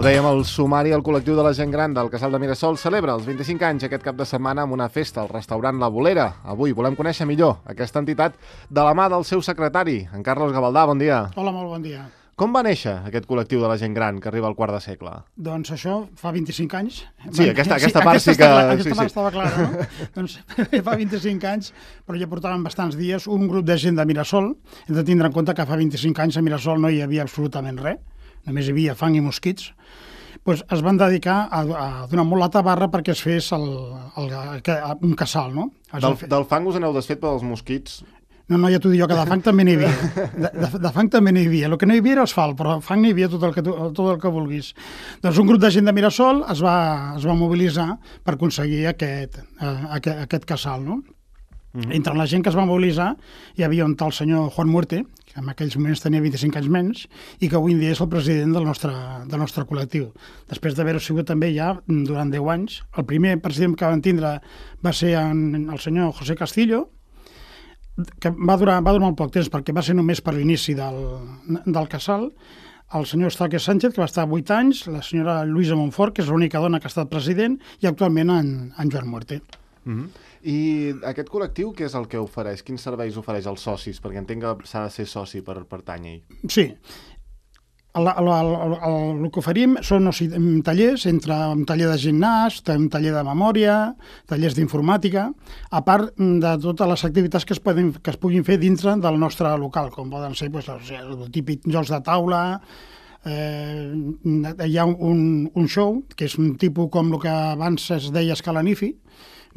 dèiem, el sumari al col·lectiu de la gent gran del Casal de Mirasol celebra els 25 anys aquest cap de setmana amb una festa al restaurant La Bolera. Avui volem conèixer millor aquesta entitat de la mà del seu secretari, en Carlos Gavaldà. Bon dia. Hola, molt bon dia. Com va néixer aquest col·lectiu de la gent gran que arriba al quart de segle? Doncs això fa 25 anys. Sí, aquesta part sí que... Aquesta part estava clara, no? Doncs fa 25 anys, però ja portaven bastants dies, un grup de gent de Mirasol. Hem de tindre en compte que fa 25 anys a Mirasol no hi havia absolutament res, només hi havia fang i mosquits. Doncs es van dedicar a donar molt la tabarra perquè es fes un casal, no? Del fang us aneu desfet pels mosquits? No, ja t'ho dic jo, que de fang també n'hi havia. De fang també n'hi havia. El que no hi havia era asfalt, però fang n'hi havia tot el que vulguis. Doncs un grup de gent de Mirasol es va mobilitzar per aconseguir aquest casal, no? Entre la gent que es va mobilitzar hi havia un tal senyor Juan Muerte, que en aquells moments tenia 25 anys menys, i que avui en dia és el president del nostre col·lectiu. Després d'haver-ho sigut també ja durant 10 anys. El primer president que van tindre va ser el senyor José Castillo, que va durar molt poc temps perquè va ser només per l'inici del casal, el senyor Eustaqui Sánchez, que va estar 8 anys, la senyora Luisa Montfort, que és l'única dona que ha estat president, i actualment en Joan Muerte. I aquest col·lectiu, què és el que ofereix? Quins serveis ofereix als socis? Perquè entenc que s'ha de ser soci per pertànyer. Sí. El que oferim són tallers, entre un taller de gimnàs, un taller de memòria, tallers d'informàtica, a part de totes les activitats que es puguin fer dintre del nostre local, com poden ser el típic jocs de taula. Hi ha un show, que és un tipus com el que abans es deia Escalanifi,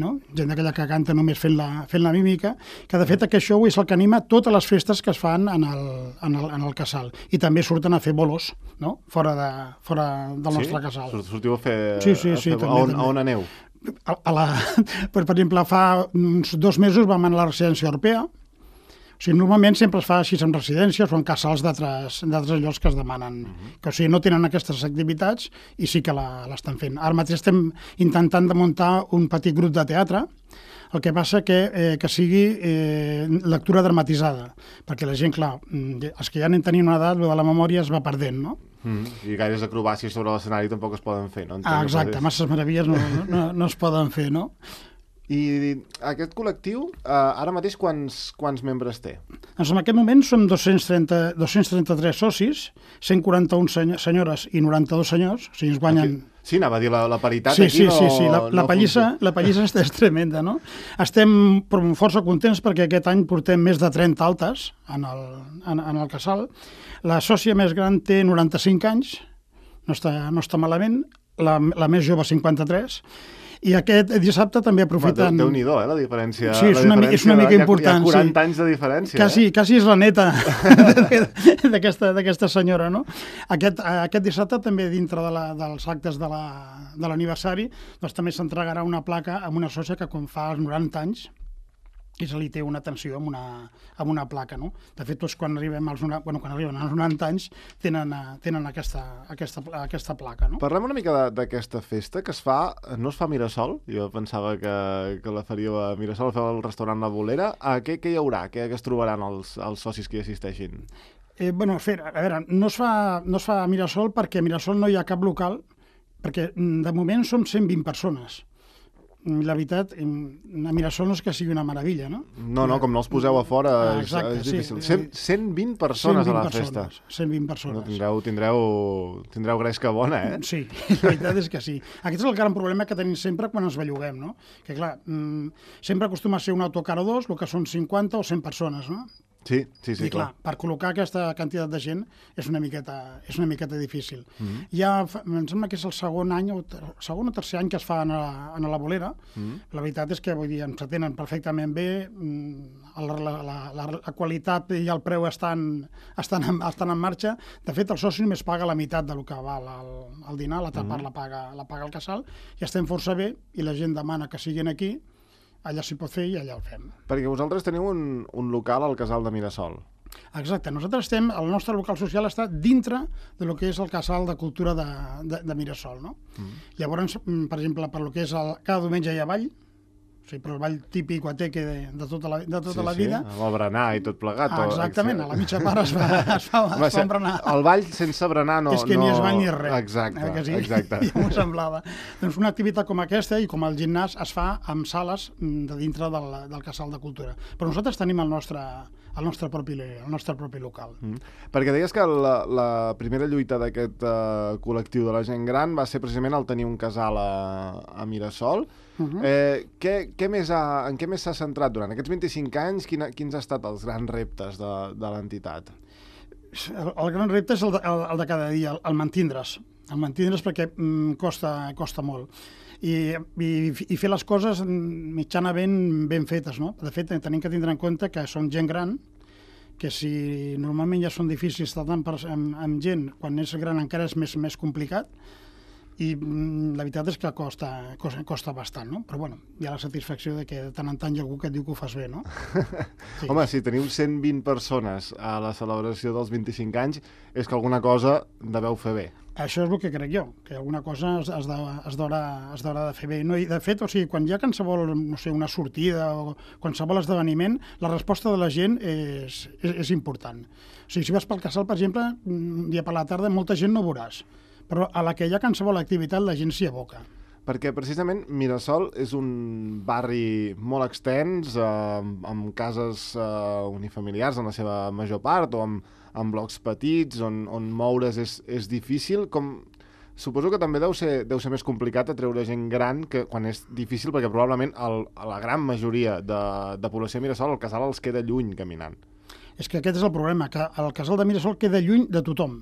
no? Gent d'aquella que canta només fent la mímica, que de fet aquest show és el que anima totes les festes que es fan en el casal. I també surten a fer bolos, no? fora del nostre casal. Sortiu a fer... Sí, també. On aneu? Per exemple, fa uns 2 mesos vam anar a la residència europea. O sigui, normalment sempre es fa així en residències o en casals d'altres llocs que es demanen. Que, o sigui, no tenen aquestes activitats i sí que l'estan fent. Ara mateix estem intentant de muntar un petit grup de teatre, el que passa que sigui lectura dramatitzada, perquè la gent, clar, els que ja anem tenint una edat, de la memòria es va perdent, no? I gaires acrobàcies sobre l'escenari tampoc es poden fer, no? Exacte, masses meravilles no es poden fer, no? I aquest col·lectiu, ara mateix, quants membres té? Doncs en aquest moment som 233 socis, 141 senyores i 92 senyors, o sigui, ens guanyen... Sí, anava a dir, la paritat sí, aquí sí, la pallissa és tremenda, no? Estem força contents perquè aquest any portem més de 30 altes en el casal. La sòcia més gran té 95 anys, no està malament, la més jove 53, i aquest dissabte també aprofiten... Déu-n'hi-do, la diferència. Sí, és una mica important. Hi ha 40 anys de diferència. Quasi és la neta d'aquesta senyora, no? Aquest dissabte també dintre dels actes de l'aniversari doncs també s'entregarà una placa amb una sòcia que quan fa 90 anys i se li té una atenció amb una placa, no? De fet, tots quan arriben als 90 anys tenen aquesta placa, no? Parlem una mica d'aquesta festa que no es fa a Mirasol. Jo pensava que la faríeu a Mirasol, la feu al restaurant La Bolera. Què hi haurà? Què es trobaran els socis que hi assisteixin? A veure, no es fa a Mirasol perquè a Mirasol no hi ha cap local, perquè de moment som 120 persones. La veritat, a Mirasol no és que sigui una meravella, no? No, com no els poseu a fora és difícil. 120 persones a la festa. 120 persones. Tindreu gresca bona, eh? Sí, la veritat és que sí. Aquest és el gran problema que tenim sempre quan ens belluguem, no? Que clar, sempre acostuma a ser un autocar o dos, el que són 50 o 100 persones, no? Sí, i clar, per col·locar aquesta quantitat de gent és una miqueta difícil. Ja em sembla que és el segon o tercer any que es fa a la Bolera. La veritat és que vull dir, ens atenen perfectament bé, la qualitat i el preu estan en marxa. De fet, el soci només paga la meitat del que val el dinar, l'altra part la paga el casal, i estem força bé, i la gent demana que siguin aquí, allà s'hi pot fer i allà el fem. Perquè vosaltres teniu un local al Casal de Mirasol. Exacte. Nosaltres el nostre local social està dintre del que és el Casal de Cultura de Mirasol, no? Llavors, per exemple, per lo que és cada diumenge hi ha ball, però el ball típic guateque de tota la vida. Sí, el berenar i tot plegat. Exactament, a la mitja part es fa berenar. El ball sense berenar no... És que ni es ball ni res. Exacte, sí? exacte. Ja m'ho semblava. Doncs una activitat com aquesta i com el gimnàs es fa amb sales de dintre del Casal de Cultura. Però nosaltres tenim el nostre propi local. Perquè deies que la primera lluita d'aquest col·lectiu de la gent gran va ser precisament el tenir un casal a Mirasol. En què més s'ha centrat durant aquests 25 anys? Quins han estat els grans reptes de l'entitat? El gran repte és el de cada dia, el mantindre's. El mantindre's perquè costa molt. I fer les coses mitjanament ben fetes, no? De fet, tenim que tindre en compte que som gent gran, que si normalment ja són difícils estar amb gent, quan és gran encara és més complicat, i la veritat és que costa bastant, no? Però bueno, hi ha la satisfacció de que de tant en tant hi ha algú que et diu que ho fas bé, no? Sí. Home, si teniu 120 persones a la celebració dels 25 anys, és que alguna cosa deveu fer bé. Això és el que crec jo, que alguna cosa es d'haurà de fer bé. No, i de fet, quan hi ha qualsevol, no sé, una sortida o qualsevol esdeveniment, la resposta de la gent és important. O sigui, si vas pel casal, per exemple, un dia per la tarda, molta gent no veuràs, però a la que hi ha qualsevol activitat la gent s'hi aboca. Perquè precisament Mirasol és un barri molt extens, amb cases unifamiliars en la seva major part, o amb blocs petits, on moure's és difícil. Suposo que també deu ser més complicat atreure gent gran que quan és difícil, perquè probablement la gran majoria de població de Mirasol, el casal els queda lluny caminant. És que aquest és el problema, que el casal de Mirasol queda lluny de tothom.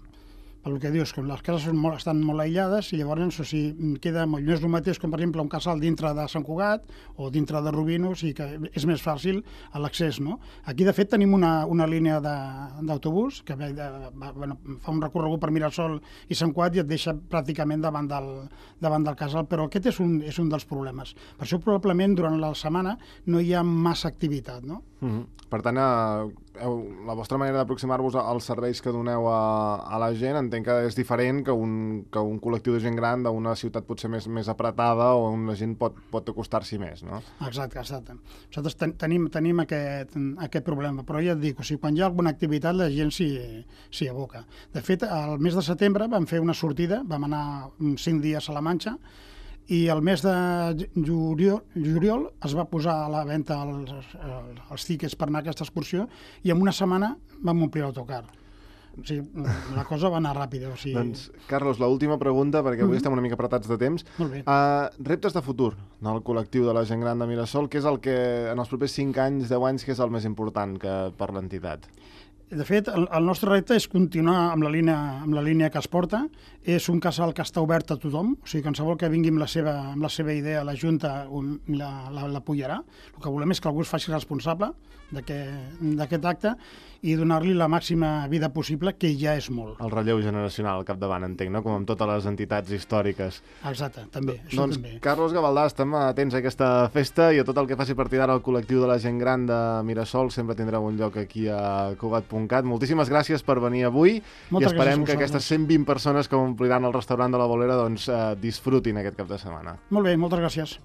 Pel que dius, que les cases estan molt aïllades i llavors queda molt. No és el mateix com, per exemple, un casal dintre de Sant Cugat o dintre de Rubino, o sigui que és més fàcil l'accés, no? Aquí, de fet, tenim una línia d'autobús que fa un recorregut per Mirasol i Sant Cugat i et deixa pràcticament davant del casal, però aquest és un dels problemes. Per això, probablement, durant la setmana no hi ha massa activitat, no? Per tant, la vostra manera d'aproximar-vos als serveis que doneu a la gent entenc que és diferent que un col·lectiu de gent gran d'una ciutat potser més apretada o on la gent pot acostar-s'hi més, no? Exacte. Nosaltres tenim aquest problema, però ja et dic, quan hi ha alguna activitat la gent s'hi aboca. De fet, al mes de setembre vam fer una sortida, vam anar 5 dies a la Manxa, i el mes de juliol es va posar a la venda els tiquets per anar a aquesta excursió i en una setmana vam omplir l'autocar. O sigui, la cosa va anar ràpida. Doncs, Carlos, l'última pregunta, perquè avui estem una mica apretats de temps. Molt bé. Reptes de futur del col·lectiu de la gent gran de Mirasol, què és el que en els propers 5 anys, 10 anys, què és el més important per l'entitat? De fet, el nostre repte és continuar amb la línia que es porta. És un casal que està obert a tothom, o sigui, qualsevol que vingui amb la seva idea, la Junta l'apoyarà. El que volem és que algú es faci responsable d'aquest acte i donar-li la màxima vida possible, que ja és molt. El relleu generacional al capdavant, entenc, no? Com amb totes les entitats històriques. Exacte, també. Doncs, Carlos Gavaldà, estem atents a aquesta festa i a tot el que faci a partir d'ara el col·lectiu de la gent gran de Mirasol sempre tindrà un lloc aquí a Cugat.cat. Moltíssimes gràcies per venir avui i esperem que aquestes 120 persones que ompliran el restaurant de la Bolera disfrutin aquest cap de setmana. Molt bé, moltes gràcies.